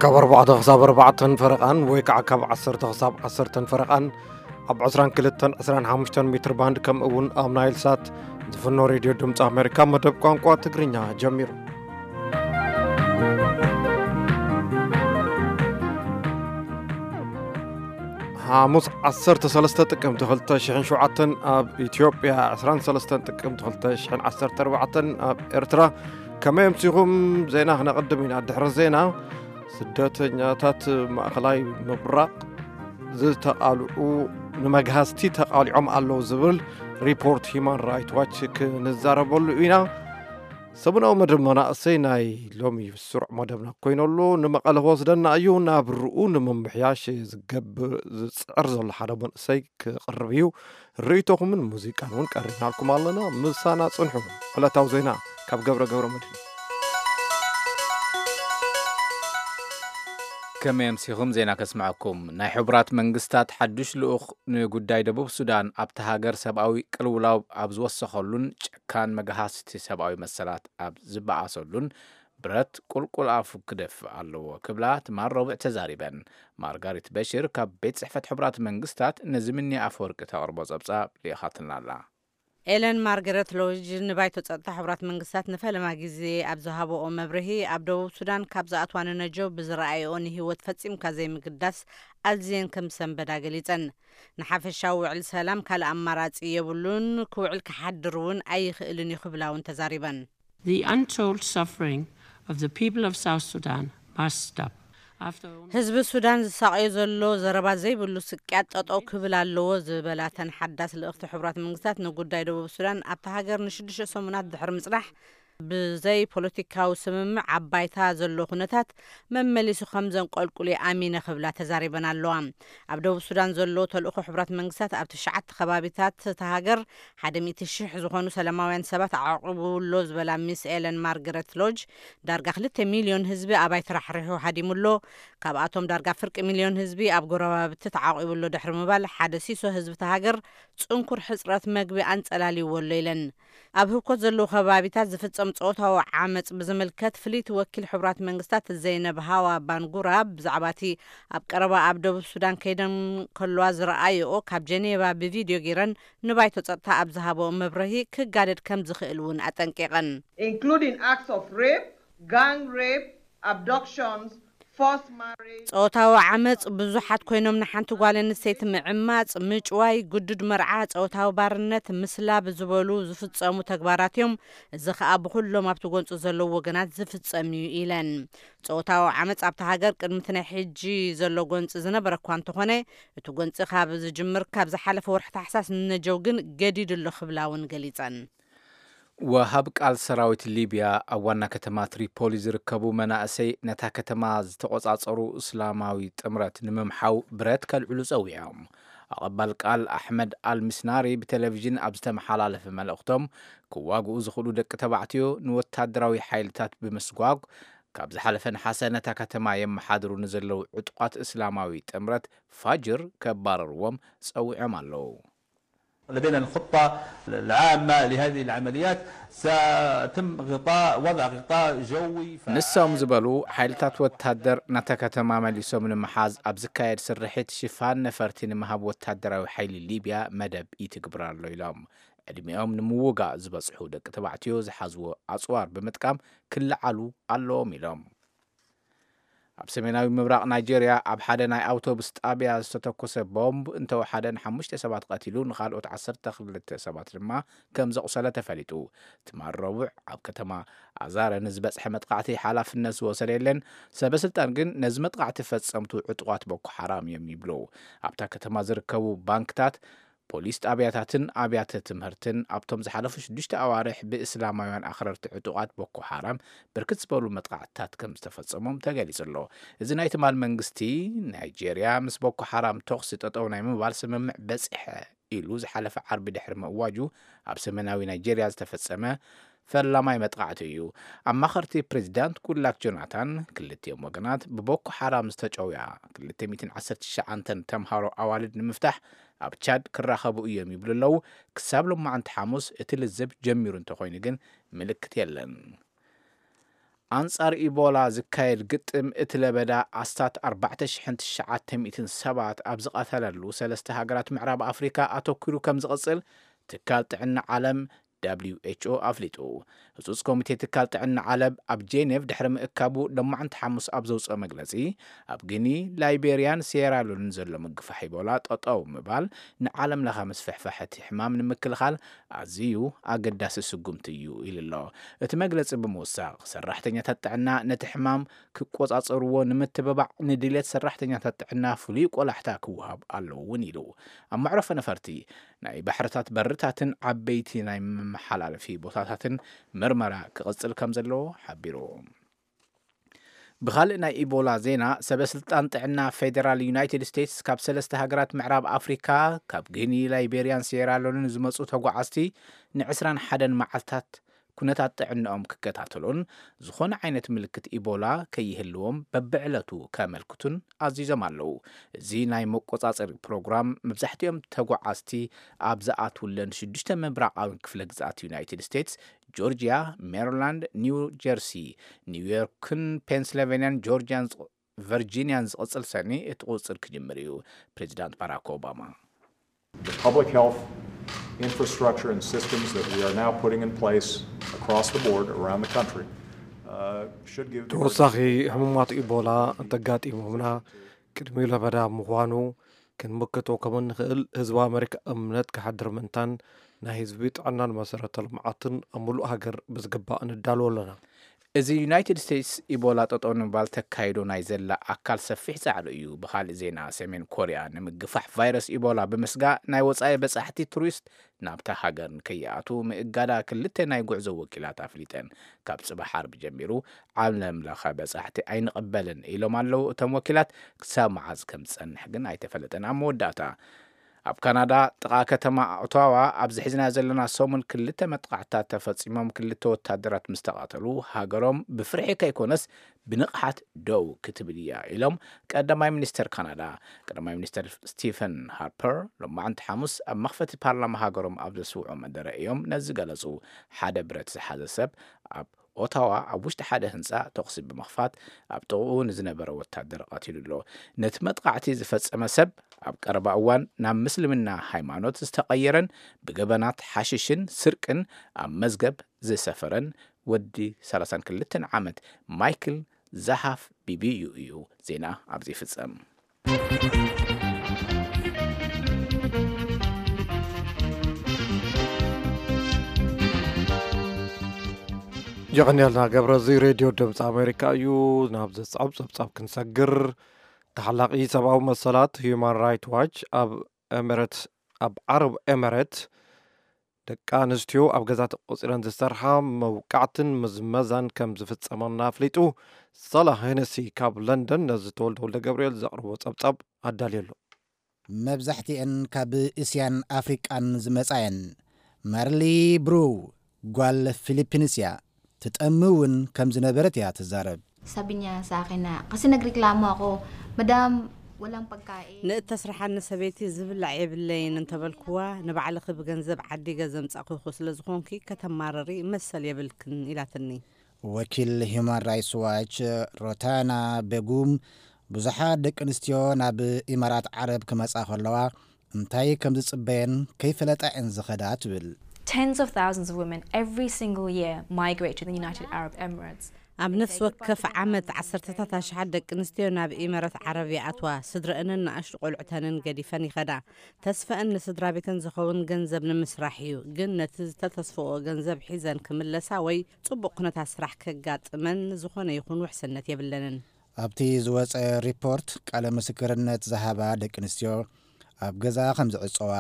ካብ ኣርባዕተ ክሳብ ኣርባዕተን ፈረቓን ወይ ከዓ ካብ ዓሰርተ ክሳብ ዓሰርተን ፈረቓን ኣብ ዕስራን ክልተን ዕስራን ሓሙሽተን ሜትር ባንድ፣ ከምኡ እውን ኣብ ናይል ሳት ዝፍኖ ሬድዮ ድምፂ ኣሜሪካ መደብ ቋንቋ ትግርኛ ጀሚሩ። ሓሙስ ዓሰርተ ሰለስተ ጥቅምቲ ክልተ ሽሕን ሸውዓተን ኣብ ኢትዮጵያ፣ ዕስራን ሰለስተን ጥቅምቲ ክልተ ሽሕን ዓሰርተ ኣርባዕተን ኣብ ኤርትራ። ከመይ ኣምሲኹም? ዜና ክነቕድም ኢና። ድሕሪ ዜና፣ ስደተኛታት ማእኸላይ ምብራቕ ዝተቓልዑ፣ ንመግሃስቲ ተቓሊዖም ኣለዉ ዝብል ሪፖርት ሂማን ራይት ዋች ክንዛረበሉ ኢና። ሰሙናዊ መደብ መናእሰይ ናይ ሎሚ ስሩዕ መደብና ኮይነሉ፣ ንመቐለ ክወስደና እዩ። ናብ ርኡ ንምምሕያሽ ዝገብር፣ ዝጽዕር ዘሎ ሓደ መንእሰይ ክቕርብ እዩ። ርእይቶኹምን ሙዚቃን እውን ቀሪብናልኩም ኣለና። ምሳና ጽንሑ። ዕለታዊ ዜና ካብ ገብረ ገብረ መድህን። ከመይ ኣምሲኹም? ዜና ከስምዐኩም። ናይ ሕቡራት መንግስታት ሓዱሽ ልኡኽ ንጉዳይ ደቡብ ሱዳን ኣብታ ሃገር ሰብኣዊ ቅልውላው ኣብ ዝወሰኸሉን ጨካን መግሃስቲ ሰብኣዊ መሰላት ኣብ ዝበኣሰሉን ብረት ቁልቁል ኣፉ ክደፍእ ኣለዎ ክብላ ትማል ረቡዕ ተዛሪበን። ማርጋሪት በሽር ካብ ቤት ጽሕፈት ሕቡራት መንግስታት ነዚ ምኒ ኣፈወርቂ ተቕርቦ ጸብጻብ ልኢኻትና ኣላ። ኤለን ማርገረት ሎጅ ንባይቶ ጸጥታ ሕቡራት መንግስታት ንፈለማ ግዜ ኣብ ዝሃበኦ መብርሂ፣ ኣብ ደቡብ ሱዳን ካብ ዝኣትዋ ንነጀው ብዝረኣየኦ ንህይወት ፈጺምካ ዘይምግዳስ ኣዝየን ከም ዝሰንበዳ ገሊጸን። ንሓፈሻዊ ውዕል ሰላም ካልእ ኣማራጺ የብሉን፣ ክውዕል ክሓድር እውን ኣይኽእልን እዩ ክብላ እውን ተዛሪበን። The untold suffering of the people of South Sudan must stop. After all, ህዝቢ ሱዳን ዝሳቐዮ ዘሎ ዘረባ ዘይብሉ ስቅያት ጠጠው ክብል ኣለዎ ዝበላ እተን ሓዳስ ልእኽቲ ሕቡራት መንግስታት ንጉዳይ ደቡብ ሱዳን፣ ኣብታ ሃገር ንሽዱሽተ ሰሙናት ድሕሪ ምጽናሕ ብዘይ ፖለቲካዊ ስምምዕ ኣብ ባይታ ዘሎ ኩነታት መመሊሱ ከም ዘንቆልቁል ኣሚነ ክብላ ተዛሪበን ኣለዋ። ኣብ ደቡብ ሱዳን ዘሎ ተልእኾ ሕቡራት መንግስታት ኣብ ትሽዓተ ከባቢታት እታ ሃገር ሓደ ሚእቲ ሽሕ ዝኾኑ ሰላማውያን ሰባት ኣዕቂቡ ኣሎ ዝበላ ሚስ ኤለን ማርገረት ሎጅ፣ ዳርጋ ክልተ ሚልዮን ህዝቢ ኣባይ ተራሕሪሑ ሃዲሙ ኣሎ። ካብኣቶም ዳርጋ ፍርቂ ሚልዮን ህዝቢ ኣብ ጎረባብቲ ተዓቂቡ ኣሎ ድሕሪ ምባል፣ ሓደ ሲሶ ህዝቢ እታ ሃገር ጽንኩር ሕጽረት መግቢ ኣንጸላልይዎ ኣሎ ኢለን። ኣብ ህውከት ዘለዉ ከባቢታት ዝፍጸም ጾታዊ ዓመጽ ብዝምልከት፣ ፍልይቲ ወኪል ሕቡራት መንግስታት ዘይነብ ሃዋ ባንጉራ ብዛዕባ እቲ ኣብ ቀረባ ኣብ ደቡብ ሱዳን ከይደን ከለዋ ዝረኣየኦ ካብ ጀኔቫ ብቪድዮ ገይረን ንባይቶ ጸጥታ ኣብ ዝሃበኦ መብርሂ ክጋደድ ከም ዝኽእል እውን ኣጠንቂቐን። Including acts of rape, gang rape, abductions, forced marriage. ጾታዊ ዓመጽ ብዙሓት ኮይኖም፣ ንሓንቲ ጓል ኣንስተይቲ ምዕማጽ፣ ምጭዋይ፣ ግዱድ መርዓ፣ ጾታዊ ባርነት፣ ምስላ ብዝበሉ ዝፍጸሙ ተግባራት እዮም። እዚ ኸኣ ብኹሎም ኣብቲ ጎንጺ ዘለዉ ወገናት ዝፍጸም እዩ ኢለን። ጾታዊ ዓመጽ ኣብታ ሃገር ቅድሚ እቲ ናይ ሕጂ ዘሎ ጎንጺ ዝነበረ እኳ እንተኾነ፣ እቲ ጎንጺ ካብ ዝጅምር ካብ ዝሓለፈ ወርሒ ታሕሳስ ንነጀው ግን ገዲዱ ኣሎ ክብላ እውን ገሊጸን። ወሃብ ቃል ሰራዊት ሊብያ ኣብ ዋና ከተማ ትሪፖሊ ዝርከቡ መናእሰይ ነታ ከተማ ዝተቖጻጸሩ እስላማዊ ጥምረት ንምምሓው ብረት ከልዕሉ ጸዊዖም። ኣቐባል ቃል ኣሕመድ ኣል ሚስናሪ ብቴሌቪዥን ኣብ ዝተመሓላለፈ መልእኽቶም፣ ክዋግኡ ዝኽእሉ ደቂ ተባዕትዮ ንወታደራዊ ሓይልታት ብምስጓግ ካብ ዝሓለፈ ነሓሰ ነታ ከተማ የመሓድሩ ንዘለዉ ዕጡቓት እስላማዊ ጥምረት ፋጅር ከባረርዎም ጸዊዖም ኣለዉ። لدينا الخطة العامة لهذه العمليات. سيتم غطاء، وضع غطاء جوي فعال. ንሶም ዝበሉ፣ ሓይልታት ወታደር ናታ ከተማ መሊሶም ንምሓዝ ኣብ ዝካየድ ስርሒት ሽፋን ነፈርቲ ንምሃብ ወታደራዊ ሓይሊ ሊብያ መደብ ይትግብር ኣሎ ኢሎም። ዕድሚኦም ንምውጋእ ዝበጽሑ ደቂ ተባዕትዮ ዝሓዝዎ ኣጽዋር ብምጥቃም ክለዓሉ ኣለዎም ኢሎም። ኣብ ሰሜናዊ ምብራቕ ናይጄርያ ኣብ ሓደ ናይ ኣውቶቡስ ጣብያ ዝተተኮሰ ቦምብ እንተወሓደ ንሓሙሽተ ሰባት ቀቲሉ፣ ንኻልኦት ዓሰርተ ክልተ ሰባት ድማ ከም ዘቑሰለ ተፈሊጡ። ትማል ረቡዕ ኣብ ከተማ ኣዛረ ንዝበጽሐ መጥቃዕቲ ሓላፍነት ዝወሰደ የለን። ሰበ ስልጣን ግን ነዚ መጥቃዕቲ ፈጸምቱ ዕጡቓት ቦኮ ሓራም እዮም ይብሉ። ኣብታ ከተማ ዝርከቡ ባንክታት፣ ፖሊስ ጣብያታትን ኣብያተ ትምህርትን ኣብቶም ዝሓለፉ ሽዱሽተ ኣዋርሕ ብእስላማውያን ኣኽረርቲ ዕጡቓት ቦኮ ሓራም ብርክት ዝበሉ መጥቃዕትታት ከም ዝተፈጸሞም ተገሊጹ ኣሎ። እዚ ናይ ትማል መንግስቲ ናይጄርያ ምስ ቦኮ ሓራም ተኹሲ ጠጠው ናይ ምባል ስምምዕ በጺሐ ኢሉ ዝሓለፈ ዓርቢ ድሕሪ ምእዋጁ፣ ኣብ ሰሜናዊ ናይጄርያ ዝተፈጸመ ፈላማይ መጥቃዕቲ እዩ። ኣማኸርቲ ፕሬዚዳንት ጉድላክ ጆናታን፣ ክልቲኦም ወገናት ብቦኮ ሓራም ዝተጨውያ ክልተ ሚእትን ዓሰርተ ትሽዓተን ተምሃሮ ኣዋልድ ንምፍታሕ ኣብ ቻድ ክራኸቡ እዮም ይብሉ ኣለዉ። ክሳብ ሎማዓንቲ ሓሙስ እቲ ልዝብ ጀሚሩ እንተኾይኑ ግን ምልክት የለን። ኣንጻር ኢቦላ ዝካየድ ግጥም እቲ ለበዳ ኣስታት ኣርባዕተ ሽሕን ትሽዓተ ሚእትን ሰባት ኣብ ዝቐተለሉ ሰለስተ ሃገራት ምዕራብ ኣፍሪካ ኣተኲሩ ከም ዝቕጽል ትካል ጥዕና ዓለም ደብሊው ኤች ኦ ኣፍሊጡ። ህጹጽ ኮሚቴ ትካል ጥዕና ዓለም ኣብ ጄኔቭ ድሕሪ ምእካቡ ሎማዕንቲ ሓሙስ ኣብ ዘውፅኦ መግለጺ፣ ኣብ ግኒ፣ ላይቤርያን ሴራሎንን ዘሎ ምግፋሕ ኢቦላ ጠጠው ምባል ንዓለም ለኸ መስፍሕፋሕ እቲ ሕማም ንምክልኻል ኣዝዩ ኣገዳሲ ስጉምቲ እዩ ኢሉ ኣሎ። እቲ መግለጺ ብምውሳኽ፣ ሰራሕተኛታት ጥዕና ነቲ ሕማም ክቆጻጸርዎ ንምትብባዕ ንድልየት ሰራሕተኛታት ጥዕና ፍሉይ ቆላሕታ ክወሃብ ኣለዎ እውን ኢሉ። ኣብ መዕረፎ ነፈርቲ፣ ናይ ባሕርታት በርታትን ዓበይቲ ናይ መመሓላለፊ ቦታታትን ምርመራ ክቕጽል ከም ዘለዎ ሓቢሩ። ብኻልእ ናይ ኢቦላ ዜና፣ ሰበ ስልጣን ጥዕና ፌዴራል ዩናይትድ ስቴትስ ካብ ሰለስተ ሃገራት ምዕራብ ኣፍሪካ፣ ካብ ግኒ፣ ላይቤርያን ሴራሎንን ዝመጹ ተጓዓዝቲ ንዕስራን ሓደን መዓልታት ኩነታት ጥዕናኦም ክከታተሉን ዝኾነ ዓይነት ምልክት ኢቦላ ከይህልዎም በብዕለቱ ከመልክቱን ኣዚዞም ኣለዉ። እዚ ናይ መቆጻጸሪ ፕሮግራም መብዛሕትኦም ተጓዓዝቲ ኣብ ዝኣትውለን ሽዱሽተ ምብራቓዊ ክፍለ ግዝኣት ዩናይትድ ስቴትስ፣ ጆርጂያ፣ ሜሪላንድ፣ ኒው ጀርሲ፣ ኒውዮርክን ፔንስልቬንያን ጆርጂያን ዝቕ- ቨርጂንያን ዝቕጽል ሰኒ እቲ ቁጽጽር ክጅምር እዩ። ፕሬዚዳንት ባራክ ኦባማ The public health infrastructure and systems that we are now putting in place across the board around the country uh, should give the ተወሳኺ ሕሙማት ኢቦላ እንተጋጢሞምና ቅድሚ ለበዳ ምዃኑ ክንምክቶ ከም እንኽእል ህዝቢ ኣመሪካ እምነት ክሓድር ምእንታን ናይ ህዝቢ ጥዕናን መሰረተ ልምዓትን ኣብ ሙሉእ ሃገር ብዝግባእ ንዳልዎ ኣለና። እዚ ዩናይትድ ስቴትስ ኢቦላ ጠጠው ንምባል ተካይዶ ናይ ዘላ ኣካል ሰፊሕ ጻዕሪ እዩ። ብኻልእ ዜና፣ ሰሜን ኮርያ ንምግፋሕ ቫይረስ ኢቦላ ብምስጋእ ናይ ወጻኢ በጻሕቲ ቱሪስት ናብታ ሃገር ንከይኣትዉ ምእጋዳ ክልተ ናይ ጉዕዞ ወኪላት ኣፍሊጠን። ካብ ጽባሕ ዓርቢ ጀሚሩ ዓለም ለኸ በጻሕቲ ኣይንቕበልን ኢሎም ኣለዉ እቶም ወኪላት። ክሳብ መዓዝ ከም ዝጸንሕ ግን ኣይተፈለጠን። ኣብ መወዳእታ፣ ኣብ ካናዳ ጥቓ ከተማ ኦታዋ ኣብዚ ሒዝና ዘለና ሰሙን ክልተ መጥቃዕትታት ተፈጺሞም ክልተ ወታደራት ምስ ተቓተሉ ሃገሮም ብፍርሒ ከይኮነስ ብንቕሓት ደው ክትብል እያ ኢሎም ቀዳማይ ሚኒስተር ካናዳ። ቀዳማይ ሚኒስተር ስቲፈን ሃርፐር ሎማዕንቲ ሓሙስ ኣብ መኽፈቲ ፓርላማ ሃገሮም ኣብ ዘስውዖ መደረ እዮም ነዚ ገለጹ። ሓደ ብረት ዝሓዘ ሰብ ኣብ ኦታዋ ኣብ ውሽጢ ሓደ ህንጻ ተኹሲ ብምኽፋት ኣብ ጥቕኡ ንዝነበረ ወታደር ቀቲሉ ኣሎ። ነቲ መጥቓዕቲ ዝፈጸመ ሰብ ኣብ ቀረባ እዋን ናብ ምስልምና ሃይማኖት ዝተቐየረን ብገበናት ሓሽሽን ስርቅን ኣብ መዝገብ ዝሰፈረን ወዲ ሰላሳን ክልተን ዓመት ማይክል ዛሃፍ ቢቢዩ እዩ። ዜና ኣብዚ ይፍጸም። የቐንየልና ገብረ። እዚ ሬድዮ ድምፂ ኣሜሪካ እዩ። ናብ ዘፃብ ፀብፃብ ክንሰግር፣ ተሓላቒ ሰብኣዊ መሰላት ሂዩማን ራይት ዋች ኣብ ኤምሬት ኣብ ዓረብ ኤምሬት ደቂ ኣንስትዮ ኣብ ገዛ ተቆፂረን ዝሰርሓ መውቃዕትን ምዝመዛን ከም ዝፍፀመና ኣፍሊጡ። ሳላ ሄነሲ ካብ ለንደን ነዚ ተወልደ ወልደ ገብርኤል ዘቕርቦ ፀብፃብ ኣዳልየሉ። መብዛሕትኤን ካብ እስያን ኣፍሪቃን ዝመጻ እየን። ማርሊ ብሩ ጓል ፊሊፒንስ እያ። ትጠሚ እውን ከም ዝነበረት እያ ትዛረብ። Sabi niya sa akin na, kasi nagreklamo ako, Madam, walang pagkain. ንእተስርሓኒ ሰበይቲ ዝብላዕ የብለይን እንተበልክዋ፣ ንባዕልኺ ብገንዘብ ዓዲገ ዘምጻእኩኺ ስለ ዝኾንኪ ከተማርሪ መሰል የብልክን ኢላትኒ። ወኪል ሂዩማን ራይትስ ዋች ሮታና ቤጉም፣ ብዙሓት ደቂ ኣንስትዮ ናብ ኢማራት ዓረብ ክመጻ ከለዋ እንታይ ከም ዝጽበየን ከይፈለጣ እየን ዝኸዳ ትብል። Tens of thousands of women every single year migrate to the United Arab Emirates. ኣብ ነፍሲ ወከፍ ዓመት ዓሰርተታት ኣሽሓት ደቂ ኣንስትዮ ናብ ኢመረት ዓረብ ይኣትዋ። ስድረአንን ንኣሽቱ ቆልዑተንን ገዲፈን ይኸዳ። ተስፈአን ንስድራ ቤተን ዝኸውን ገንዘብ ንምስራሕ እዩ። ግን ነቲ ዝተተስፈኦ ገንዘብ ሒዘን ክምለሳ ወይ ጽቡቕ ኩነታት ስራሕ ከጋጥመን ዝኾነ ይኹን ውሕስነት የብለንን። ኣብቲ ዝወጸ ሪፖርት ቃለ ምስክርነት ዝሃባ ደቂ ኣንስትዮ ኣብ ገዛ ከም ዝዕጸዋ፣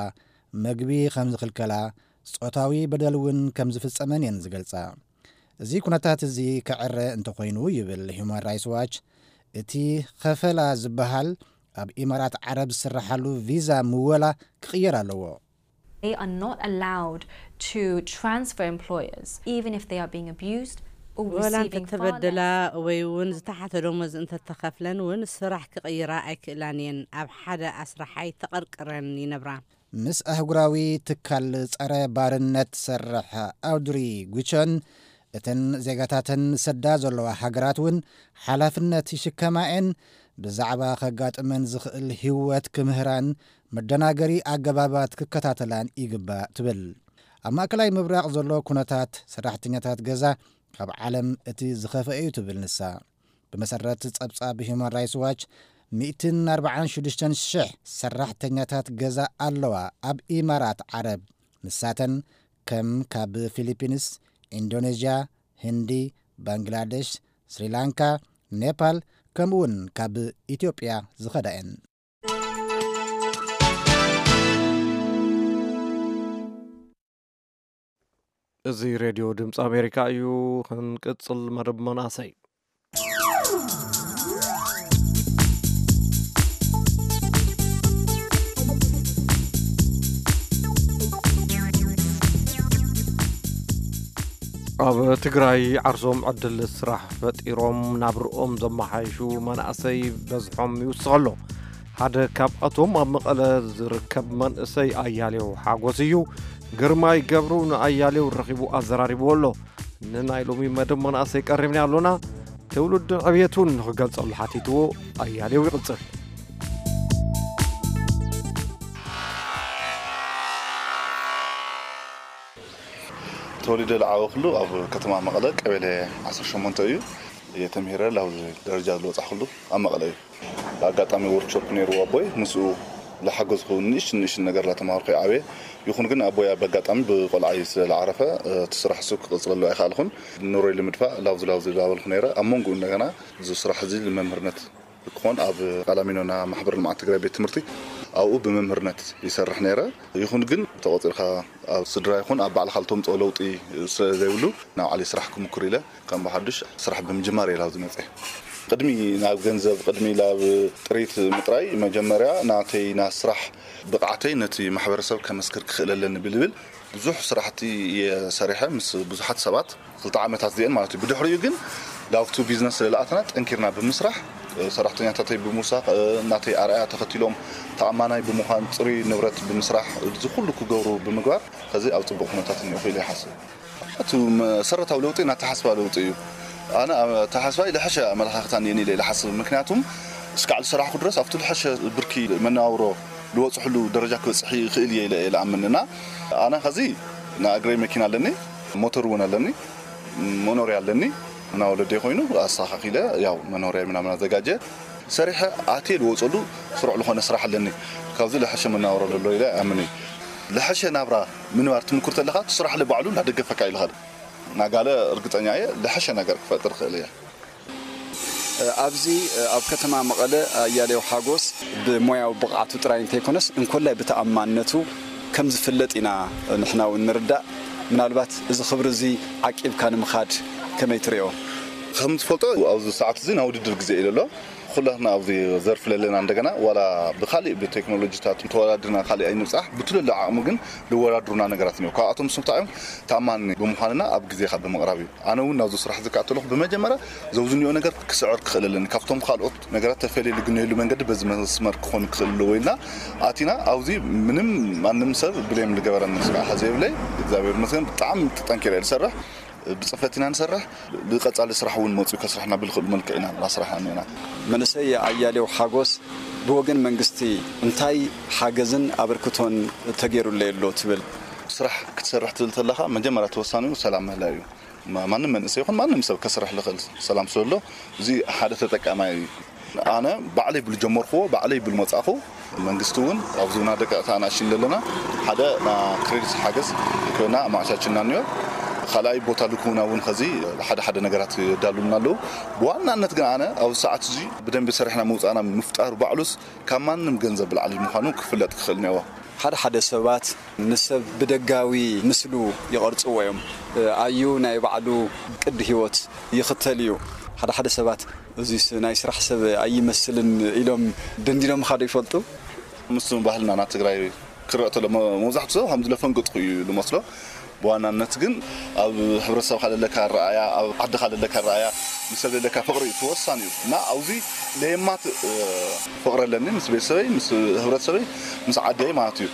መግቢ ከም ዝኽልከላ፣ ጾታዊ በደል እውን ከም ዝፍጸመን እየን ዝገልጻ። እዚ ኩነታት እዚ ክዕረ እንተኾይኑ ይብል ሂዩማን ራይትስ ዋች፣ እቲ ኸፈላ ዝበሃል ኣብ ኢማራት ዓረብ ዝስርሓሉ ቪዛ ምወላ ክቕየር ኣለዎ። They are not allowed to transfer employers, even if they are being abused or ወላ receiving far እንተተበደላ less. ወይ እውን ዝተሓተ ደሞዝ እንተተኸፍለን እውን ስራሕ ክቕይራ ኣይክእላን እየን። ኣብ ሓደ ኣስራሓይ ተቐርቅረን ይነብራ። ምስ ኣህጉራዊ ትካል ጸረ ባርነት ትሰርሕ ኣውድሪ ጉቸን እተን ዜጋታተን ዝሰዳ ዘለዋ ሃገራት እውን ሓላፍነት ይሽከማ እየን። ብዛዕባ ከጋጥመን ዝኽእል ህይወት ክምህራን መደናገሪ ኣገባባት ክከታተላን ይግባእ ትብል። ኣብ ማእከላይ ምብራቕ ዘሎ ኩነታት ሰራሕተኛታት ገዛ ካብ ዓለም እቲ ዝኸፍአ እዩ ትብል ንሳ። ብመሰረት ጸብጻብ ሂዩማን ራይትስ ዋች፣ ሚእትን ኣርባዓን ሽዱሽተን ሽሕ ሰራሕተኛታት ገዛ ኣለዋ ኣብ ኢማራት ዓረብ። ንሳተን ከም ካብ ፊሊፒንስ፣ ኢንዶኔዥያ፣ ህንዲ፣ ባንግላደሽ፣ ስሪላንካ፣ ኔፓል፣ ከምኡውን ካብ ኢትዮጵያ ዝኸዳ እየን። እዚ ሬድዮ ድምፂ ኣሜሪካ እዩ። ክንቅፅል መደብ መናእሰይ። ኣብ ትግራይ ዓርሶም ዕድል ስራሕ ፈጢሮም ናብርኦም ዘመሓይሹ መናእሰይ በዝሖም ይውስኽ ኣሎ። ሓደ ካብኣቶም ኣብ መቐለ ዝርከብ መንእሰይ ኣያሌው ሓጎስ እዩ። ግርማይ ገብሩ ንኣያሌው ረኺቡ ኣዘራሪብዎ ኣሎ። ንናይ ሎሚ መደብ መናእሰይ ቀሪብና ኣሎና። ትውልዲ ዕብየቱን ንኽገልጸሉ ሓቲትዎ። ኣያሌው ይቕጽል። ተወሊደ ዝዓበኹሉ ኣብ ከተማ መቐለ ቀበሌ ዓሰርተ ሸሞንተ እዩ። እየ ተምሂረ ላብ ደረጃ ዝበጻሕኩሉ ኣብ መቐለ እዩ። ኣጋጣሚ ወርክሾፕ ነይሩ ኣቦይ፣ ምስኡ ላሓገዝኩ ንእሽትን ንእሽትን ነገር ላተማሃርኩ ይዓበየ። ይኹን ግን ኣቦይ ኣብ ኣጋጣሚ ብቆልዓይ ስለ ዝዓረፈ፣ እቲ ስራሕ እሱ ክቕጽለሉ ኣይከኣልኩን። ኑሮይ ልምድፋእ ላብዚ ላብዚ ላበልኩ ነይረ። ኣብ መንጎኡ እንደገና እዚ ስራሕ እዚ ንመምህርነት ክኾን ኣብ ቃላሚኖና ማሕበር ልምዓት ትግራይ ቤት ትምህርቲ ኣብኡ ብመምህርነት ይሰርሕ ነይረ። ይኹን ግን ተቖጺርካ ኣብ ስድራ ይኹን ኣብ ባዕልኻ ልተምፅኦ ለውጢ ስለ ዘይብሉ ናብ ዓሊ ስራሕ ክምኩር ኢለ ከም ብሓዱሽ ስራሕ ብምጅማር እየ ላብዚ መፅየ። ቅድሚ ናብ ገንዘብ፣ ቅድሚ ናብ ጥሪት ምጥራይ መጀመርያ ናተይ ናይ ስራሕ ብቕዓተይ ነቲ ማሕበረሰብ ከመስክር ክኽእል ኣለኒ ብልብል ብዙሕ ስራሕቲ እየ ሰሪሐ ምስ ብዙሓት ሰባት ክልተ ዓመታት እዚአን ማለት እዩ። ብድሕሪኡ ግን ላብቱ ቢዝነስ ስለ ዝኣተና ጠንኪርና ብምስራሕ ሰራሕተኛታተይ ብምውሳኽ ናተይ ኣርኣያ ተኸቲሎም ተኣማናይ ብምዃን ፅሩይ ንብረት ብምስራሕ እዚ ኩሉ ክገብሩ ብምግባር ሕዚ ኣብ ፅቡቕ ኩነታት እኒኦ ኢለ ይሓስብ። እቲ መሰረታዊ ለውጢ ናይ ኣተሓስባ ለውጢ እዩ። ኣነ ኣተሓስባይ ልሐሸ ኣመለኻኽታ እኒአኒ ኢለ ኢለ ሓስብ። ምክንያቱም እስካዕ ዝሰራሕኩ ድረስ ኣብቲ ልሐሸ ብርኪ መነባብሮ ልወፅሕሉ ደረጃ ክበፅሕ ይኽእል እየ ኢለ እየ ልኣምን እና ኣነ ኸዚ ንእግረይ መኪና ኣለኒ፣ ሞተር እውን ኣለኒ፣ መኖርያ ኣለኒ። እና ወለደይ ኮይኑ ኣስተኻኺለ ያው መኖርያ ምናምን ኣዘጋጀ ሰሪሐ ኣትየ ልወፀሉ ስሩዕ ልኾነ ስራሕ ኣለኒ። ካብዚ ልሐሸ መነባብሮ ለሎ ኢለ ኣምን እየ። ልሐሸ ናብራ ምንባር ትምኩር ተለኻ እቲ ስራሕ ልባዕሉ እንዳደገፈካ እዩ ልኸድ። ናጋለ እርግፀኛ እየ ልሐሸ ነገር ክፈጥር ክእል እየ። ኣብዚ ኣብ ከተማ መቐለ ኣያሌው ሓጎስ ብሞያዊ ብቕዓቱ ጥራይ እንተይኮነስ እንኮላይ ብተኣማንነቱ ከም ዝፍለጥ ኢና ንሕና እውን ንርዳእ። ምናልባት እዚ ክብሪ እዚ ዓቂብካ ንምኻድ ከመይ ትሪኦ? ከም ዝፈልጦ ኣብዚ ሰዓት እዚ ናይ ውድድር ግዜ እዩ ዘሎ። ኩላትና ኣብዚ ዘርፊ ለለና እንደገና ዋላ ብካሊእ ብቴክኖሎጂታት ተወዳድርና ካሊእ ኣይንብፃሕ ብትልሉ ዓቕሚ ግን ልወዳድሩና ነገራት እዮም። ካብኣቶም ስብታ እዮም ተኣማኒ ብምዃንና ኣብ ግዜኻ ብምቕራብ እዩ። ኣነ እውን ናብዚ ስራሕ እዚ ክኣተለኹ ብመጀመርያ ዘውዝንዮ ነገር ክስዕር ክኽእል ኣለኒ። ካብቶም ካልኦት ነገራት ተፈልየ ልግነየሉ መንገዲ በዚ መስመር ክኾን ክኽእል ኣለዎ ኢልና ኣቲና ኣብዚ ምንም ማንም ሰብ ብሌም ልገበረኒ ስራሕ ዘይብለይ እግዚኣብሔር ይመስገን ብጣዕሚ ጠንኪረ እየ ዝሰርሕ። ብፅፈት ኢና ንሰርሕ። ብቐፃሊ ስራሕ እውን መፅኡ ከስርሕና ብልኽእሉ መልክዕ ኢና እናስራሕና እኒና። መንእሰይ ኣያሌው ሓጎስ ብወገን መንግስቲ እንታይ ሓገዝን ኣበርክቶን ተገይሩለይ ኣሎ ትብል? ስራሕ ክትሰርሕ ትብል ተለኻ መጀመርያ ተወሳኒኡ ሰላም ምህላው እዩ። ማንም መንእሰይ ይኹን ማንም ሰብ ከስርሕ ልኽእል ሰላም ስለሎ እዚ ሓደ ተጠቃማይ እዩ። ኣነ ባዕለይ ብልጀመርክዎ ባዕለይ ብልመፃእኹ መንግስቲ እውን ኣብዙና ደቂ ኣናእሽን ዘለና ሓደ ና ክሬዲት ሓገዝ ክና ማእሻችና እኒዮ። ካልኣይ ቦታ ልኩና እውን ከዚ ሓደ ሓደ ነገራት የዳሉልና ኣለዉ። ብዋናነት ግን ኣነ ኣብ ሰዓት እዚ ብደንቢ ሰሪሕና ምውፃእና ምፍጣር ባዕሉስ ካብ ማንም ገንዘብ ብላዕሊ ምዃኑ ክፍለጥ ክኽእል እኒዎ። ሓደ ሓደ ሰባት ንሰብ ብደጋዊ ምስሉ ይቐርጽዎ እዮም። ኣዩ ናይ ባዕሉ ቅዲ ህይወት ይኽተል እዩ። ሓደ ሓደ ሰባት እዚስ ናይ ስራሕ ሰብ ኣይመስልን ኢሎም ደንዲኖም ኻዶ ይፈልጡ። ምስ ባህልና ና ትግራይ ክረእ ተሎ መብዛሕትኡ ሰብ ከም ዝለፈንገጥኩ እዩ ዝመስሎ። ብዋናነት ግን ኣብ ሕብረተሰብካ ዘለካ ኣረኣያ ኣብ ዓድካ ዘለካ ኣረኣያ ንሰብ ዘለካ ፍቕሪ እዩ ተወሳኒ እዩ እና ኣብዚ ለየማት ፍቕሪ ኣለኒ ምስ ቤተሰበይ ምስ ሕብረተሰበይ ምስ ዓደይ ማለት እዩ።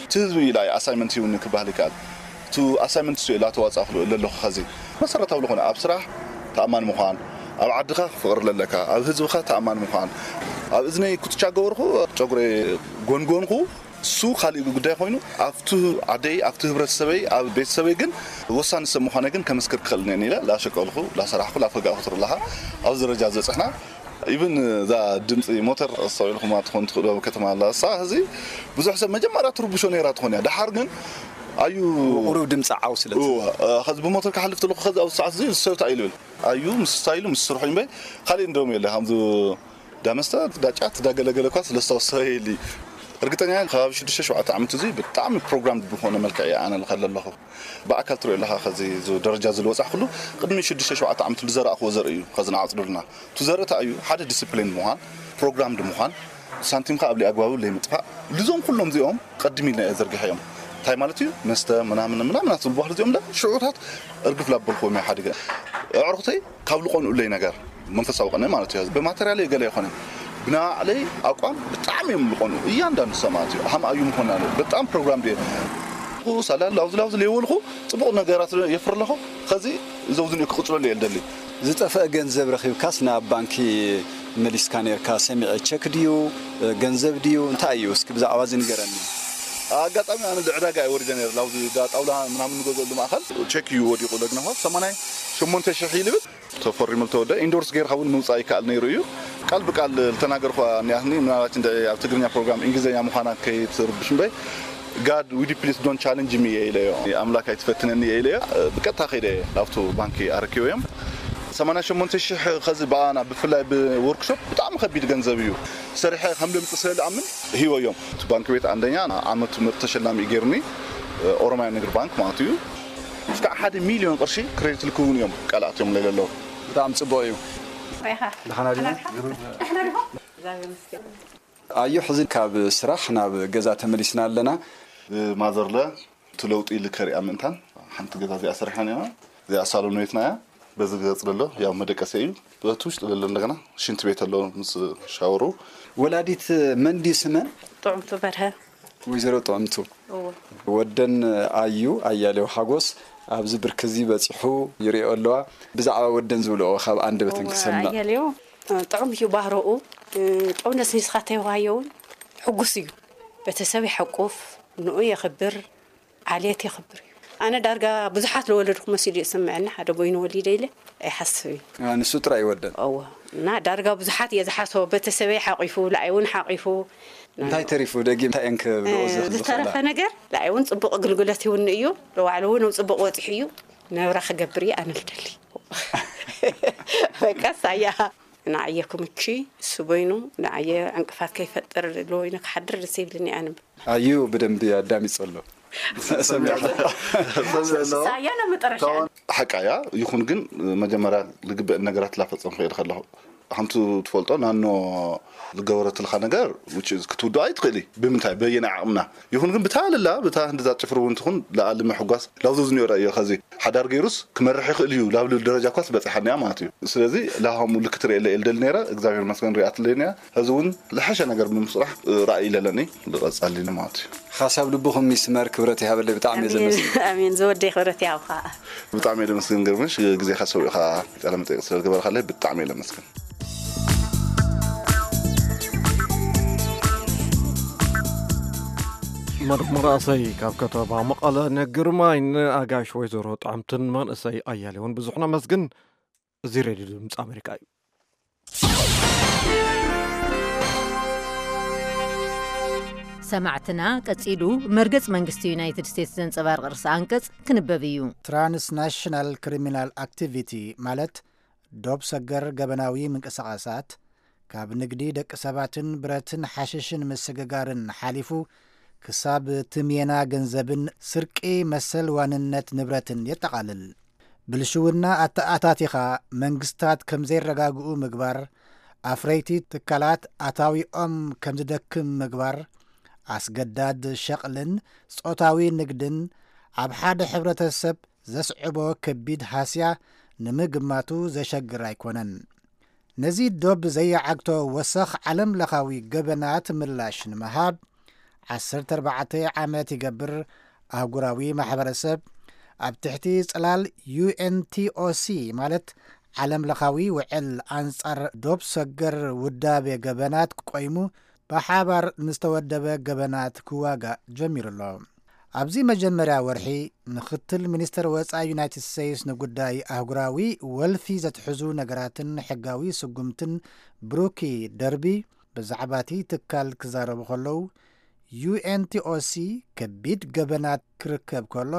እቲ ህዝቢ ኢላ ኣሳይመንት ይውኒ ክበሃል ይከኣል። እቲ ኣሳይመንት እሱ ኢላ ተዋፃእክሉ ኣለኹ ኸዚ መሰረታዊ ዝኾነ ኣብ ስራሕ ተኣማን ምዃን፣ ኣብ ዓድኻ ክፍቕር ለለካ፣ ኣብ ህዝብኻ ተኣማን ምዃን። ኣብ እዝነይ ኩትቻ ገበርኩ፣ ጨጉረ ጎንጎንኩ፣ እሱ ካሊእ ጉዳይ ኮይኑ፣ ኣብቲ ዓደይ፣ ኣብቲ ህብረተሰበይ፣ ኣብ ቤተሰበይ ግን ወሳኒ ሰብ ምዃነ ግን ከመስክር ክኽእል እኒአኒ ኢለ ላሸቀልኩ፣ ላሰራሕኩ፣ ላተጋእኩ ትርላኻ ኣብዚ ደረጃ ዝበፅሕና። ኢብን እዛ ድምፂ ሞተር ኣስተውዒልኩማ ትኾን ትኽእሉ ኣብ ከተማ ኣላ። እሳ ሕዚ ብዙሕ ሰብ መጀመርያ ትርብሾ ነይራ ትኾን እያ። ደሓር ግን ኣዩ ቁሩብ ድምፂ ዓው ስለ እዎ፣ እ፣ ኸዚ ብሞተር ክሓልፍ ተለኹ ኸዚ ኣብ ሰዓት እዚ ዝሰብታ ኢሉ ይብል። ኣዩ ምስ ስታይሉ ምስ ስርሑ እምበይ ካልእ እንደውም የለ። ከምዚ ዳመስተ ዳጫት ዳገለገለ ኳስ ለስታውሰ የሊ። እርግጠኛ እየ፣ ከባቢ ሽዱሽተ ሸውዓተ ዓመት እዚ ብጣዕሚ ፕሮግራም ብኾነ መልክዕ እየ ኣነ ልኸለ ኣለኹ። ብኣካል ትሪኦ ኣለኻ፣ ኸዚ እዚ ደረጃ እዚ ልበጻሕኩሉ ቅድሚ ሽዱሽተ ሸውዓተ ዓመት ልዘራእኽዎ ዘርኢ እዩ። ኸዚ ንዓጽዱልና። እቲ ዘርእታ እዩ ሓደ ዲስፕሊን ምዃን፣ ፕሮግራም ድምዃን፣ ሳንቲምካ ኣብ ኣግባቡ ለይምጥፋእ። ልዞም ኩሎም እዚኦም ቀድም ኢልና እየ ዘርጊሐዮም። እንታይ ማለት እዩ? መስተ፣ ምናምን፣ ምናምን ዝብሉ ባህሊ እዚኦም ለ ሽዑታት እርግፍ ላበልክዎም እየ ሓዲገ። ኣዕሩኽተይ ካብ ልቆንኡለይ ነገር፣ መንፈሳዊ ቅነ ማለት እዩ። ብማቴሪያል ገለ ኣይኮነን። ብናባዕለይ ኣቋም ብጣዕሚ እዮም ልቆኑ። እያንዳንዱ ሰማዕት እዩ። ሃም ኣዩ ምኾና ነው። በጣም ፕሮግራም ድየ። ሳላ ላውዝ ላውዝ ለይወልኹ ጽቡቕ ነገራት የፍር ኣለኹ። ኸዚ ዘውዝን እዩ ክቕጽለሉ እየ ልደሊ። ዝጠፍአ ገንዘብ ረኺብካስ ናብ ባንኪ መሊስካ ነርካ ሰሚዐ። ቸክ ድዩ፣ ገንዘብ ድዩ፣ እንታይ እዩ? እስኪ ብዛዕባ እዚ ንገረኒ። ኣጋጣሚ ኣነ ዕዳጋ እየ ወሪደ ነይረ። ላውዝ ዳ ጣውላ ምናምን ንገዝኣሉ ማእኸል ቸክ እዩ ወዲቑ። ደግነሆ ሰማንያ ሸሞንተ ሽሕ ይልብል። ተፈሪሙ ልተወደ ኢንዶርስ ጌርካ እውን ምውፃእ ይከኣል ነይሩ እዩ። ቃል ብቃል ልተናገርኳ እኒኣትኒ፣ ምናልባት እንደ ኣብ ትግርኛ ፕሮግራም እንግሊዝኛ ምዃና ከይትርብሽ እምበይ፣ God, would you please don't challenge me እየ ኢለዮ። ኣምላክ ኣይትፈትነኒ እየ ኢለዮ። ብቀጥታ ከይደ ናብቱ ባንኪ ኣረኪበዮም። ሰማንያ ሸሞንተ ሽሕ ኸዚ ብኣና ብፍላይ ብወርክሾፕ ብጣዕሚ ከቢድ ገንዘብ እዩ። ሰሪሐ ከም ደምፅ ስለ ዝኣምን ሂወዮም። እቲ ባንክ ቤት ኣንደኛ ዓመት ምርጥ ተሸላሚ እዩ ገይሩኒ። ኦሮማያ ንግድ ባንክ ማለት እዩ። እስካዕ ሓደ ሚልዮን ቅርሺ ክሬዲት ልክውን እዮም ቃል ኣትዮም ለለለዉ። ብጣዕሚ ጽቡቕ እዩ። ሪኢኻ? ደሓና ዲና? ደሓና ዲኻ? ደሓና ዲኻ? እግዚኣብሔር ይመስገን። ኣዩ፣ ሕዚ ካብ ስራሕ ናብ ገዛ ተመሊስና ኣለና። ማዘርለ እቲ ለውጢ ልከሪኣ ምእንታን ሓንቲ ገዛ እዚኣ ሰሪሓ ነይራ። እዚኣ ሳሎን ቤትና እያ። በዚ ገጽ ዘሎ ያው መደቀሲ እዩ። በቲ ውሽጢ ዘሎ እንደገና ሽንት ቤት ኣሎ ምስ ሻወሩ። ወላዲት መን ድዩ ስመን? ጥዑምቱ በርሀ። ወይዘሮ ጥዕምቱ፣ እዎ። ወደን ኣዩ ኣያሌው ሓጎስ ኣብዚ ብርኪ እዚ በጺሑ ይሪኦ ኣለዋ። ብዛዕባ ወደን ዝብልኦ ካብ ኣንደበተን እዎ፣ ክሰምዕ። ኣያሌው፣ እ፣ ጥዑም እዩ ባህሮኡ። እ፣ ጥዑም ነስኒስካ ተይዋዮ እውን ሕጉስ እዩ። ቤተሰብ ይሐቁፍ፣ ንኡ የኽብር፣ ዓሌት የኽብር እዩ። ኣነ ዳርጋ ብዙሓት ለወለድኩ መሲሉ እዩ ዝስምዐኒ፣ ሓደ በይኑ ወሊደ ኢለ ኣይሓስብን። አ፣ ንሱ ጥራይ ይወደን። እዎ፣ እና ዳርጋ ብዙሓት እየ ዝሓስቦ፣ ቤተሰበይ ሓቂፉ፣ ንኣይ እውን ሓቂፉ። እንታይ ተሪፉ? ደጊም እንታይ እየን ክብልኦ እ፣ ዝኽእላ? ዝተረፈ ነገር ንኣይ እውን ጽቡቕ ኣገልግሎት ይውኒ እዩ። ንባዕሉ እውን ኣብ ጽቡቕ ወጺሑ እዩ። ነብራ ክገብር እዩ ኣነ ልደሊ። በቃ ሳያ ንዓየ ክምቺ፣ እሱ በይኑ ንዓየ ዕንቅፋት ከይፈጥር፣ ለወይኑ ክሓድር ደስ ይብልኒ ኣነ። ኣዩ ብደንቢ ኣዳሚጹ ኣሎ። ሰሚዕካ? ሰሚዕ ኣለኹ። ሳያ ነው መጠረሻ። ሓቃ እያ። ይኹን ግን መጀመርያ ልግበእ ነገራት ላፈጸምኩ እየ ከለኹ። ከምቲ ትፈልጦ ናኖ ዝገበረትልካ ነገር፣ which is ክትውድኦ ኣይትኽእሊ። ብምንታይ? በየናይ ዓቕምና። ይኹን ግን ብታ ልላ፣ ብታ ህንድዛ ጭፍሪ እውን ትኹን፣ ለኣሊ ምሕጓስ፣ ላውዘዝ ንዮ ረእዮ ኸዚ። ሓዳር ገይሩስ ክመርሕ ይኽእል እዩ፣ ላብ ልብል ደረጃ እኳስ በጺሓ እኒኣ ማለት እዩ። ስለዚ፣ ላሃሙ ልክትርእየለ እየ ልደሊ ነይረ፣ እግዚኣብሔር ይመስገን ሪኣትለይ እኒኣ። ሕዚ እውን ዝሐሸ ነገር ብምስራሕ ራእይ ለለኒ ልቐጸሊ ማለት እዩ። ሓሳብ ልብኹም ይስመር፣ ክብረት ይሃበለይ፣ ብጣዕሚ እየ ኣሜን፣ ዘመስግን። ኣሜን፣ ዝወደይ ክብረት ይሃብካ። ብጣዕሚ እየ ለመስግን ግርምሽ፣ ግዜኻ ሰዊእኻ ቃለ መጠይቅ ስለ ዝገበርካለይ ብጣዕሚ እየ ለመስግን። መርቕ መራእሰይ ካብ ከተማ መቐለ ንግርማይ ንኣጋሽ ወይዘሮ ጥዕምትን መንእሰይ ኣያሌውን ብዙሕ ነመስግን። እዚ ሬድዮ ድምፂ ኣሜሪካ እዩ። ሰማዕትና፣ ቀጺሉ መርገጽ መንግስቲ ዩናይትድ ስቴትስ ዘንጸባርቕ ርእሰ ኣንቀጽ ክንበብ እዩ። ትራንስናሽናል ክሪሚናል ኣክቲቪቲ ማለት ዶብ ሰገር ገበናዊ ምንቅስቓሳት፣ ካብ ንግዲ ደቂ ሰባትን ብረትን ሓሽሽን ምስግጋርን ሓሊፉ፣ ክሳብ ትምየና ገንዘብን ስርቂ መሰል ዋንነት ንብረትን የጠቓልል። ብልሽውና ኣተኣታቲኻ መንግስታት ከም ዘይረጋግኡ ምግባር፣ ኣፍረይቲ ትካላት ኣታዊኦም ከም ዝደክም ምግባር፣ ኣስገዳድ ሸቕልን ጾታዊ ንግድን ኣብ ሓደ ሕብረተሰብ ዘስዕቦ ከቢድ ሃስያ ንምግማቱ ዘሸግር ኣይኮነን። ነዚ ዶብ ዘይዓግቶ ወሰኽ ዓለም ለኻዊ ገበናት ምላሽ ንምሃብ፣ ዓሰርተ ኣርባዕተ ዓመት ይገብር ኣህጉራዊ ማሕበረሰብ ኣብ ትሕቲ ጽላል ዩ ኤን ቲ ኦ ሲ፣ ማለት ዓለም ለኻዊ ውዕል ኣንጻር ዶብ ሰገር ውዳቤ ገበናት ቆይሙ፣ ብሓባር ንዝተወደበ ገበናት ክዋጋእ ጀሚሩ ኣሎ። ኣብዚ መጀመርያ ወርሒ፣ ምኽትል ሚኒስተር ወጻኢ ዩናይትድ ስቴትስ ንጉዳይ ኣህጉራዊ ወልፊ ዘትሕዙ ነገራትን ሕጋዊ ስጉምትን ብሩኪ ደርቢ ብዛዕባ እቲ ትካል ክዛረቡ ከለዉ፣ ዩ ኤን ቲ ኦ ሲ ከቢድ ገበናት ክርከብ ከሎ፣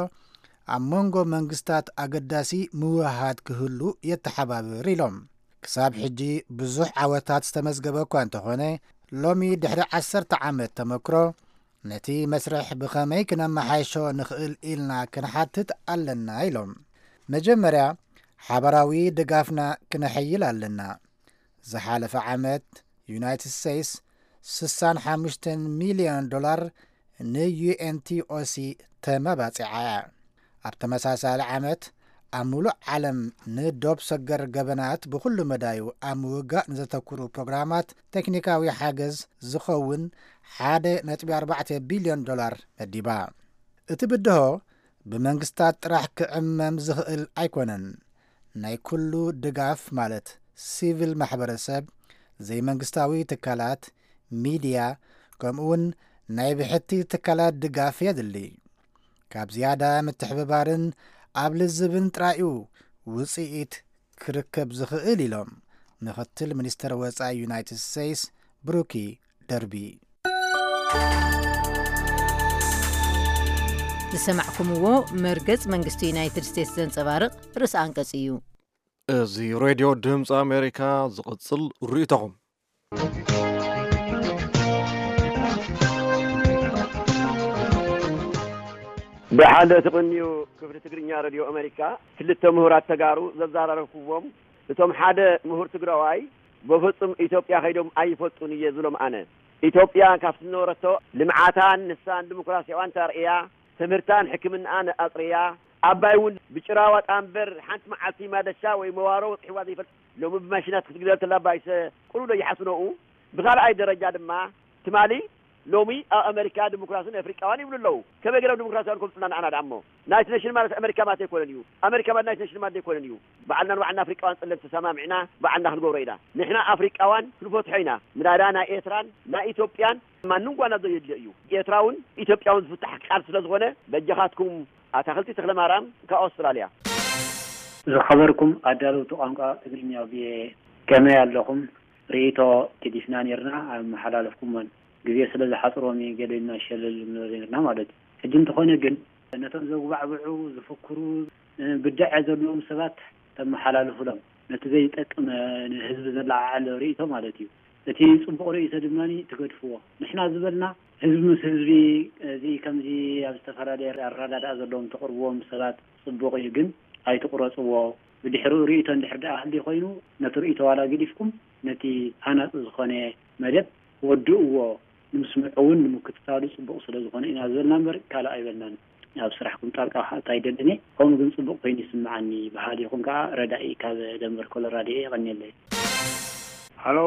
ኣብ መንጎ መንግስታት ኣገዳሲ ምውህሃድ ክህሉ የተሓባብር ኢሎም። ክሳብ ሕጂ ብዙሕ ዓወታት ዝተመዝገበ እኳ እንተኾነ፣ ሎሚ ድሕሪ ዓሰርተ ዓመት ተመክሮ፣ ነቲ መስርሕ ብኸመይ ክነመሓይሾ ንኽእል ኢልና ክንሓትት ኣለና ኢሎም። መጀመርያ፣ ሓባራዊ ድጋፍና ክነሐይል ኣለና። ዝሓለፈ ዓመት፣ ዩናይትድ ስቴትስ ስሳን ሓሙሽተን ሚልዮን ዶላር ን ዩ ኤን ቲ ኦ ሲ ተመባጺዓ እያ። ኣብ ተመሳሳሊ ዓመት፣ ኣብ ምሉእ ዓለም ንዶብ ሰገር ገበናት ብኹሉ መዳዩ ኣብ ምውጋእ ንዘተኩሩ ፕሮግራማት ቴክኒካዊ ሓገዝ ዝኸውን ሓደ ነጥቢ ኣርባዕተ ቢልዮን ዶላር መዲባ። እቲ ብድሆ ብመንግስታት ጥራሕ ክዕመም ዝኽእል ኣይኮነን። ናይ ኩሉ ድጋፍ፣ ማለት ሲቪል ማሕበረሰብ፣ ዘይመንግስታዊ ትካላት፣ ሚድያ፣ ከምኡውን ናይ ብሕቲ ትካላት ድጋፍ የድሊ። ካብ ዝያዳ ምትሕብባርን ኣብ ልዝብን ጥራዩ ውጽኢት ክርከብ ዝኽእል ኢሎም ምኽትል ሚኒስተር ወጻኢ ዩናይትድ ስቴትስ ብሩኪ ደርቢ። ዝሰማዕኩምዎ መርገጽ መንግስቲ ዩናይትድ ስቴትስ ዘንጸባርቕ ርእሰ ኣንቀጽ እዩ። እዚ ሬድዮ ድምፂ ኣሜሪካ። ዝቕጽል ርእይቶኹም። ብሓደ ትቕንዩ ክፍሊ ትግርኛ ሬድዮ ኣሜሪካ ክልተ ምሁራት ተጋሩ ዘዘራረብኩዎም፣ እቶም ሓደ ምሁር ትግራዋይ፣ በፍጹም ኢትዮጵያ ከይዶም ኣይፈልጡን እየ ዝብሎም ኣነ። ኢትዮጵያ ካብቲ ዝነበረቶ ልምዓታን ንሳን ዲሞክራሲያዋን ተርእያ፣ ትምህርታን ሕክምናኣን ኣጽርያ፣ ኣባይ እውን ብጭራዋጣ እምበር ሓንቲ መዓልቲ ማደሻ ወይ መዋሮ ወጽሕዋ ዘይፈልጥ፣ ሎሚ ብማሽናት ክትግደል ተላ ኣባይሰ ቁሩብ ዶ ይሓስኖኡ? ብኻልኣይ ደረጃ ድማ ትማሊ ሎሚ ኣብ ኣመሪካ ዲሞክራስን ኣፍሪቃዋን ይብሉ ኣለዉ። ከመይ ገይሮም ዲሞክራሲያውን ክምጹልና ንኣና ደኣ እሞ? ናይት ኔሽን ማለት ኣመሪካ ማለት ኣይኮነን እዩ። ኣመሪካ ማለት ናይት ኔሽን ማለት ኣይኮነን እዩ። ባዕልና ንባዕልና ኣፍሪቃውያን ጸለምቲ ተሰማሚዕና ባዕልና ክንገብሮ ኢና። ንሕና ኣፍሪቃውያን ክንፈትሖ ኢና። ምናዳ ናይ ኤርትራን ናይ ኢትዮጵያን ማንም ጓና ዘየድልዮ እዩ። ኤርትራውን ኢትዮጵያውን ዝፍታሕ ቃል ስለ ዝኾነ በጃኻትኩም ኣታኽልቲ ተኽለማርያም ካብ ኣውስትራልያ። ዝኸበርኩም ኣዳለውቲ ቋንቋ ትግርኛ ቪኦኤ፣ ከመይ ኣለኹም? ርእይቶ ገዲፍና ነይርና፣ ኣመሓላለፍኩሞን። ግዜ ስለ ዝሓጽሮም እዩ ገለ ኢልና ሸለል ንብሎ ነይርና ማለት እዩ። ሕጂ እንተኾነ ግን ነቶም ዘጉባዕብዑ፣ ዝፍክሩ፣ ብድዐ ዘለዎም ሰባት ተመሓላልፉሎም። ነቲ ዘይጠቅም፣ ንህዝቢ ዘለዓዕል ርእይቶ ማለት እዩ። እቲ ጽቡቕ ርእይቶ ድማ ትገድፍዎ። ንሕና ዝበልና ህዝቢ ምስ ህዝቢ፣ እዚ ከምዚ ኣብ ዝተፈላለየ ኣረዳድኣ ዘለዎም ተቕርብዎም ሰባት ጽቡቕ እዩ፣ ግን ኣይትቑረጽዎ። ብድሕሪኡ ርእይቶ እንድሕር ደኣ ሃልዩ ኮይኑ፣ ነቲ ርእይቶ ዋላ ገዲፍኩም፣ ነቲ ሃናጺ ዝኾነ መደብ ወድእዎ። ንምስምዑ እውን ንምክትታሉ ጽቡቕ ስለ ዝኾነ ኢና ዝበልና እምበር፣ ካልእ ኣይበልናን። ኣብ ስራሕኩም ጣልቃ ክኣቱ ኣይደልን እየ። ከምኡ ግን ጽቡቕ ኮይኑ ይስምዓኒ። በሃሊ ይኹን ከኣ ረዳኢ ካብ ደንቨር ኮሎራዶ እየ። የቐንየለይ። ሃሎ፣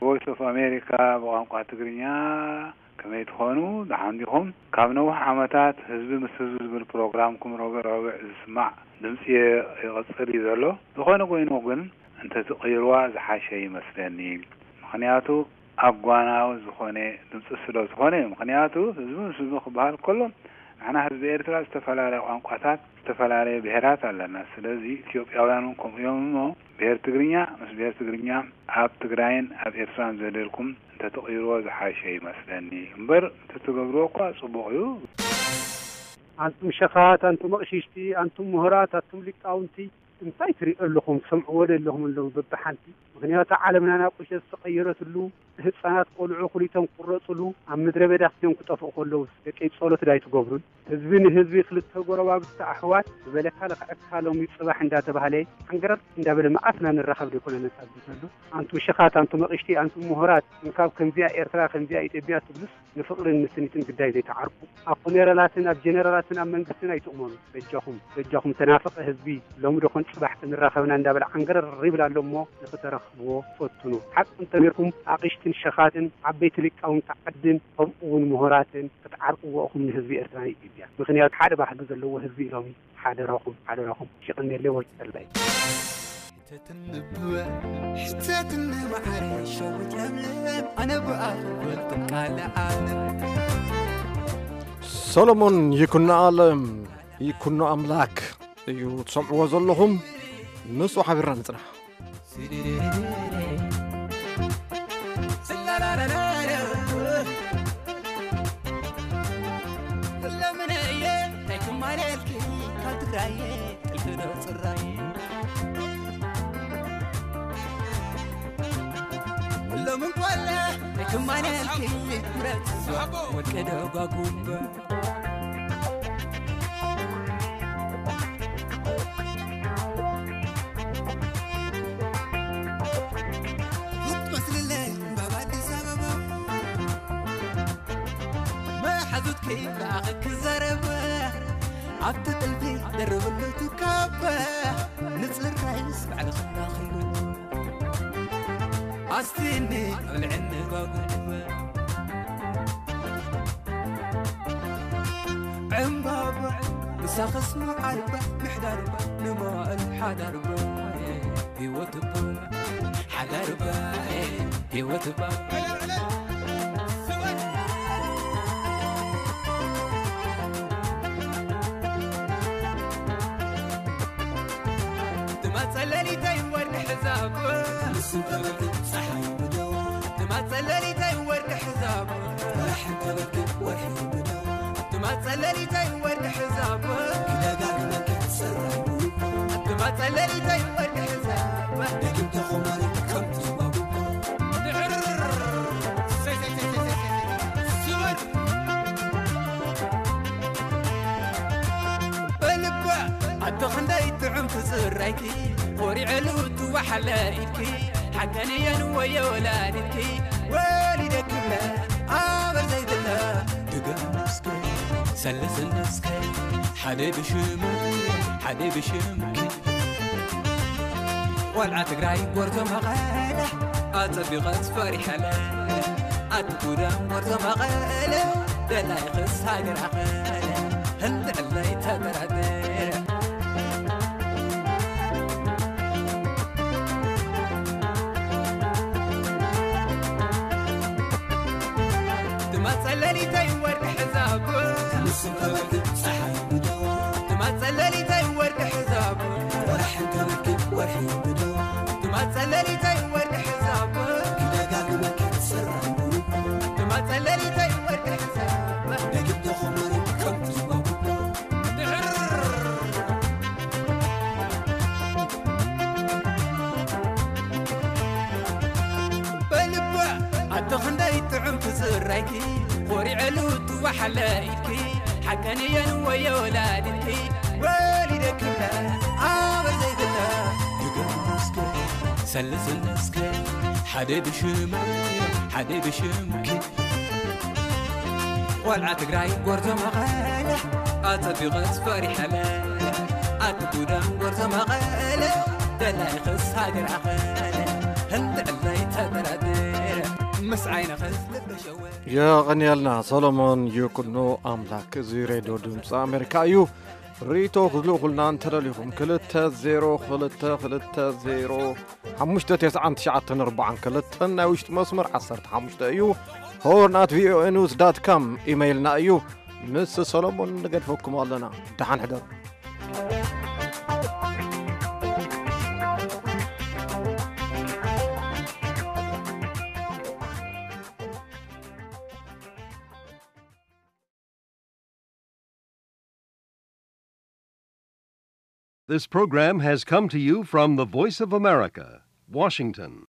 ቮይስ ኦፍ ኣሜሪካ ብቋንቋ ትግርኛ፣ ከመይ ትኾኑ? ደሓን ዲኹም? ካብ ነዊሕ ዓመታት ህዝቢ ምስ ህዝቢ ዝብል ፕሮግራምኩም ረቡዕ ረቡዕ ዝስማዕ ድምፂ የ-፣ ይቕፅል እዩ ዘሎ። ዝኾነ ኮይኑ ግን እንተትቕይርዋ ዝሓሸ ይመስለኒ። ምኽንያቱ ኣብ ጓናዊ ዝኾነ ድምፂ ስለ ዝኾነ እዩ። ምኽንያቱ ህዝቢ ምስ ህዝቢ ክበሃል ከሎ ንሕና ህዝቢ ኤርትራ ዝተፈላለያ ቋንቋታት፣ ዝተፈላለየ ብሄራት ኣለና። ስለዚ ኢትዮጵያውያን እውን ከምኡ እዮም እሞ ብሄር ትግርኛ ምስ ብሄር ትግርኛ ኣብ ትግራይን ኣብ ኤርትራን ዘደልኩም እንተትቕይርዎ ዝሓሸ ይመስለኒ። እምበር እንተትገብርዎ እኳ ጽቡቕ እዩ። ኣንቱም ሸኻት፣ ኣንቱም ኣቕሽሽቲ፣ ኣንቱም ምሁራት፣ ኣንቱም ሊቃውንቲ፣ እንታይ ትሪኡ ኣለኹም? ትሰምዕዎ ዶ ኣለኹም? ኣለዉ በብሓንቲ። ምኽንያቱ ዓለምና ናብ ቁሸት ዝተቐየረትሉ፣ ህፃናት ቆልዑ ኩሊቶም ክቁረፅሉ፣ ኣብ ምድረ በዳ ክልቲኦም ክጠፍኡ ከለዉ ደቀይ ጸሎት ዶ ኣይትገብሩን? ህዝቢ ንህዝቢ ክልተ ጎረባብቲ ኣሕዋት ዝበለካ ልኽዐካ ሎሚ ጽባሕ እንዳተባህለ ዓንገረር እንዳበለ መዓትና ንራኸብ ዶ ይኮነ ነጻ ዘሎ? ኣንቱም ሸኻት፣ ኣንቱም ኣቕሽቲ፣ ኣንቱም ምሁራት፣ እንካብ ከምዚኣ ኤርትራ ከምዚኣ ኢትዮጵያ ትብሉስ ንፍቕርን ንስኒትን ግዳይ ዘይትዓርቁ። ኣብ ኮኔረላትን ኣብ ጀነራላትን ኣብ መንግስትን ኣይትእመኑ። በጃኹም፣ በጃኹም ተናፍቐ ህዝቢ ሎሚ ዶ ኮን ጽባሕ ክንራኸብና እንዳበለ ዓንገረር ይብል ኣሎ እሞ ንኽተረኸ ክትረኽብዎ ፈትኑ። ሓቂ እንተነርኩም ኣቕሽትን ሸኻትን ዓበይቲ ሊቃውንቲ ዓድን ከምኡ እውን ምሁራትን ክትዓርቅዎ እኹም ንህዝቢ ኤርትራ ኢትዮጵያ። ምኽንያቱ ሓደ ባህጊ ዘለዎ ህዝቢ ኢሎሚ። ሓደራኹም፣ ሓደራኹም። ሽቕን የለ ወርቂ ተላይ። ሕተትኒ ብወ-፣ ሕተትኒ መዓረ ሸዊት ለምለም፣ ኣነ ብኣኺ ክወልቅም ቃል ዓለም። ሰሎሞን ይኩኖ ኣለም፣ ይኩኖ ኣምላክ እዩ ትሰምዕዎ ዘለኹም። ምስኡ ሓቢርና ንጽናሕ። ለምነ እየ እንታይ ክማለልኪ ካብ ትግራየ ጥልፊ ዶ ጽራይ። ሎሚ እንኳለ እንታይ ክማለልኪ ምረጽ ወርቂ ዶ ጓጉበ። ሩት መስልለ እምባብ ኣዲስ ኣበባ። መሓዙትኪ ብኣኺ ክዛረብ ኣብቲ ጥልፊ ደርብሉ ትካበ። ንጽራይስ ባዕልኺ ራኺቡ ኣስቲኒ ኣብልዕኒ ጓጉበ። ዕምባባ ምሳኽስ መዓርባ ምሕዳርባ ንመዋእል ሓዳርባ ህይወትባ ሓዳርባ ህይወትባ። ትማጸለሊተይ ወርቂ ሕዛብ ንስንጠበቂ ጸሓይ ብደዋ ትማጸለሊተይ ወርቂ ሕዛብ ወርሒ ተበቂ ወርሒ ብደዋ ትማጸለሊተይ ወርቂ ሕዛብ ክደጋግመልኪ ክሰራይ ትማጸለሊተይ ወርቂ ሕዛብ ደጊም ተኾማሪ ከምቲ ዝባቡ ድሕር ስበር በልባ ኣቶ ክንደይ ጥዑም ትጽረይኪ ኮሪዐሉ ትዋሓለ ኢድኪ ሓቀንየን ወየ ወላዲትኪ ወሊደ ክብለ ኣበር ዘይብለ ድገም እስከ ሰልስን እስከ ሓደ ብሽም ሓደ ብሽምኪ ቆልዓ ትግራይ ጎርዞ መቐለ ኣጸቢቐስ ፈሪሐለ ኣቲ ጉዳም ጎርዞ መቐለ ደላይኽስ ሃገር ኣኸለ ህልዕለይ ተጠራጥረ ትማጸለሊተይ ወርቂ ሕዛብ ንስንተበርቂ ጸሓይ ብደዋ ትማጸለሊተይ ወርቂ ሕዛብ ወርሒ እንተበርቂ ወርሒ ብደዋ ትማጸለሊተይ ወርቂ ሕዛብ ክደጋግመኪ ክሰራይ ትማጸለሊተይ ወርቂ ሕዛብ ደጊም ተኾማሪ ከምቲ ዝባቡ ድሕር በልባ ኣቶ ክንደይ ጥዑም ትዝረይኪ ኮሪዐሉ ትዋሓለ ኢድኪ ሓቀንየን ወየ ወላዲትኪ ወሊደ ክብለ ኣበር ዘይብለ ድገም እስከ ሰልስን እስከ ሓደ ብሽመ ሓደ ብሽምኪ ቆልዓ ትግራይ ጎርዞ መቐለ ኣጸቢቐስ ፈሪሐለ ኣቲ ጉዳም ጎርዞ መቐለ ደላይኽስ ሃገር ኣኸለ ህልዕለይ ተጠራጥረ ምስ ዓይንኽስ ልበሸወ የቐንየልና ሰሎሞን ይኩኖ ኣምላክ። እዚ ሬድዮ ድምፂ ኣሜሪካ እዩ። ርእይቶ ክትልእኹልና እንተደሊኹም ክልተ ዜሮ ክልተ ክልተ ዜሮ ሓሙሽተ ተስዓን ትሽዓተን ኣርባዓን ክልተን ናይ ውሽጢ መስመር ዓሰርተ ሓሙሽተ እዩ። ሆርን ኣት ቪኦኤ ኒውስ ዳት ካም ኢመይልና እዩ። ምስ ሰሎሞን ንገድፈኩም ኣለና። ደሓን ሕደሩ። This program has come to you from the Voice of America, Washington.